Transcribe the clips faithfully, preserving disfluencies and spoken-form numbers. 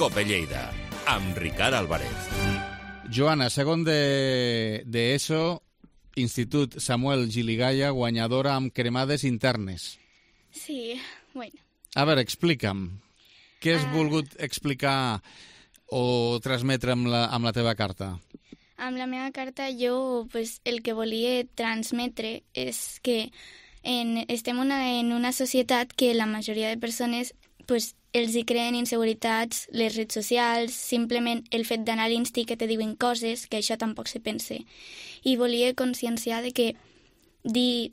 Cope Lleida, amb Ricard Álvarez. Joana, segon de, de ESO, Institut Samuel Giligaya, guanyadora amb cremades internes. Sí, bueno. A veure, explica'm. Què has Uh, volgut explicar o transmetre amb la, amb la teva carta? Amb la meva carta jo pues, el que volia transmetre és que en, estem una, en una societat que la majoria de persones pues, els hi creen inseguretats, les redes socials, simplement el fet d'anar a l'Insti que te diuen coses, que això tampoc se pense. I volia conscienciar de que dir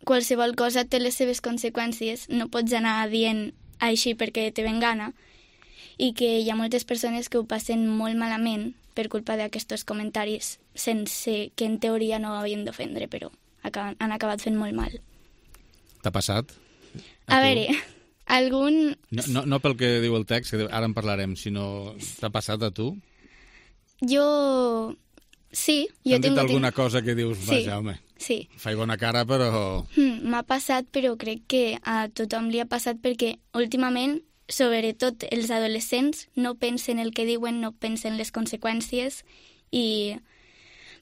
qualsevol cosa té les seves conseqüències, no pots anar dient així perquè te ven gana, i que hi ha moltes persones que ho passen molt malament per culpa d'aquests comentaris, sense que en teoria no havien d'ofendre, però acaben, han acabat fent molt mal. T'ha passat? A, a veure, algun... No, no, no pel que diu el text, que ara en parlarem, sinó t'ha passat a tu? Jo... Sí, jo T'han dit tinc... alguna cosa que dius, Sí. vaja, home, Sí. faig bona cara, però... Hmm, M'ha passat, però crec que a tothom li ha passat perquè últimament, sobretot els adolescents, no pensen el que diuen, no pensen les conseqüències i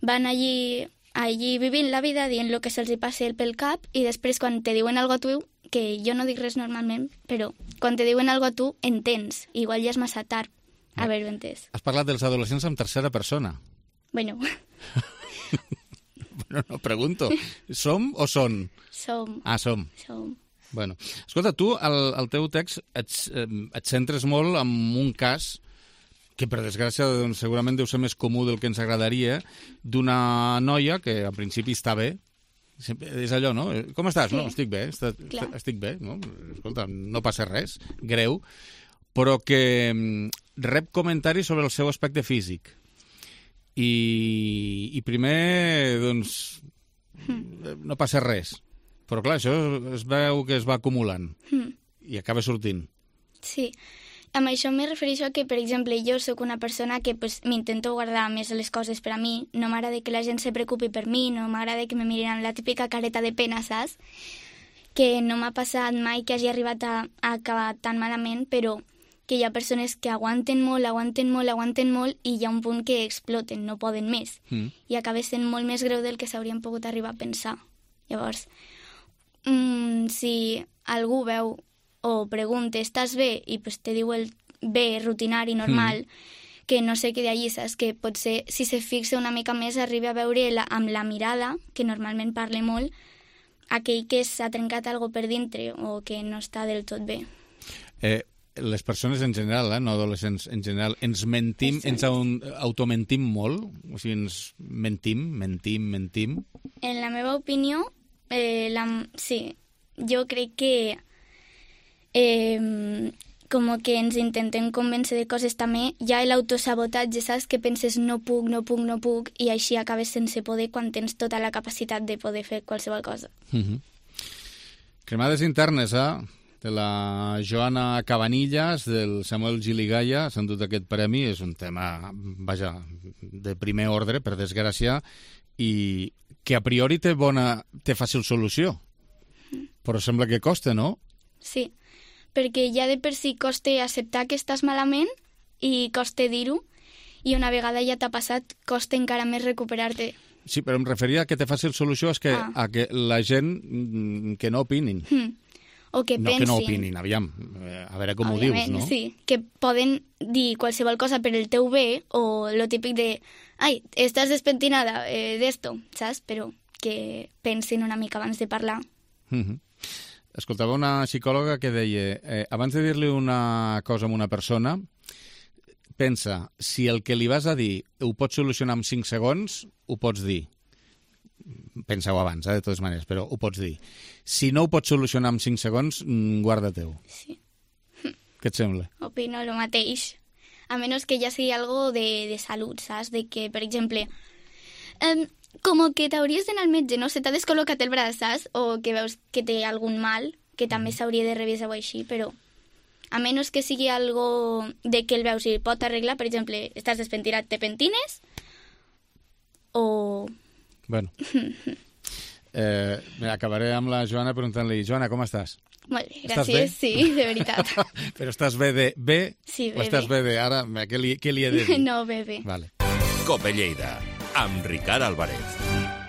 van allí, allí vivint la vida, dient el que se'ls hi passi pel cap i després quan te diuen algo a tu, que jo no dic res normalment, però quan te diuen algo a tu, entens. Igual ja és massa tard haver-ho entès. Has parlat dels adolescents en tercera persona. Bueno, Bueno, no, pregunto. Som o són? som, Ah, som. som. Bueno, escolta, tu, al, al teu text, et, eh, et centres molt en un cas que, per desgràcia, doncs, segurament deu ser més comú del que ens agradaria, d'una noia que, al principi, està bé. Sempre, és allò, no? Com estàs? Sí. No, estic bé, està, Clar. estic bé, no? Escolta, no passa res, greu, però que mm, rep comentaris sobre el seu aspecte físic. I, i primer, doncs, no passa res. Però, clar, això es veu que es va acumulant Hmm. i acaba sortint. Sí, amb això me refereixo a que, per exemple, jo sóc una persona que pues, m'intento guardar més les coses per a mi, no m'agrada que la gent se preocupi per mi, no m'agrada que me mirin amb la típica careta de pena, saps? Que no m'ha passat mai que hagi arribat a, a acabar tan malament, però que hi ha persones que aguanten molt, aguanten molt, aguanten molt i hi ha un punt que exploten, no poden més. Mm. I acaba sent molt més greu del que s'haurien pogut arribar a pensar. Llavors, mm, si algú veu o pregunta, estàs bé? I pues, te diu el bé, rutinari, normal, mm. que no sé què d'allí, saps? Que potser, si se fixa una mica més, arriba a veure la, amb la mirada, que normalment parla molt, aquell que s'ha trencat algo per dintre o que no està del tot bé. Eh, les persones en general, eh, no adolescents en general, ens mentim, ens au- automentim molt? O sigui, ens mentim, mentim, mentim? En la meva opinió, eh, la, sí, jo crec que eh, com que ens intentem convèncer de coses també, hi ha l'autosabotatge, saps? Que penses no puc, no puc, no puc, i així acabes sense poder quan tens tota la capacitat de poder fer qualsevol cosa. Uh-huh. Cremades internes, eh? De la Joana Cabanillas, del Samuel Giligaya, s'han dut aquest premi, és un tema, vaja, de primer ordre, per desgràcia, i que a priori té bona, té fàcil solució, però sembla que costa, no? Sí, perquè ja de per si costa acceptar que estàs malament i costa dir-ho, i una vegada ja t'ha passat, costa encara més recuperar-te. Sí, però em referia a que té fàcil solució és que, Ah. a que la gent mm, que no opinin. Hm. O que No pensin... que no opinin, aviam, eh, a veure com ho dius, Òbviament, no? Sí, que poden dir qualsevol cosa per el teu bé o lo típic de ai, estàs despentinada eh, d'esto, saps? Però que pensin una mica abans de parlar. Mhm. Escoltava una psicòloga que deia eh, abans de dir-li una cosa a una persona, pensa, si el que li vas a dir ho pots solucionar en cinc segons, ho pots dir. Pensa-ho abans, eh, de totes maneres, però ho pots dir. Si no ho pots solucionar en cinc segons, mm, guarda-teu. Sí, Què et sembla? opino el mateix. A menys que ja sigui algo de, de salut, saps? De que, per exemple, eh, com que t'hauries d'anar al metge, no? Se t'ha descol·locat el braç, saps? O que veus que té algun mal, que també s'hauria de revisar o així, però a menys que sigui algo de que el veus i pot arreglar, per exemple, estàs despentinat, te pentines, o... Bueno, eh, acabaré amb la Joana preguntant-li, Joana, com estàs? Molt bé, Estàs gràcies. bé? Sí, de veritat. Però estàs bé de bé? Sí, O bé, estàs bé. bé de ara? Què li, què li he de dir? No, bé, bé. Vale. Cope Lleida, amb Ricard Álvarez.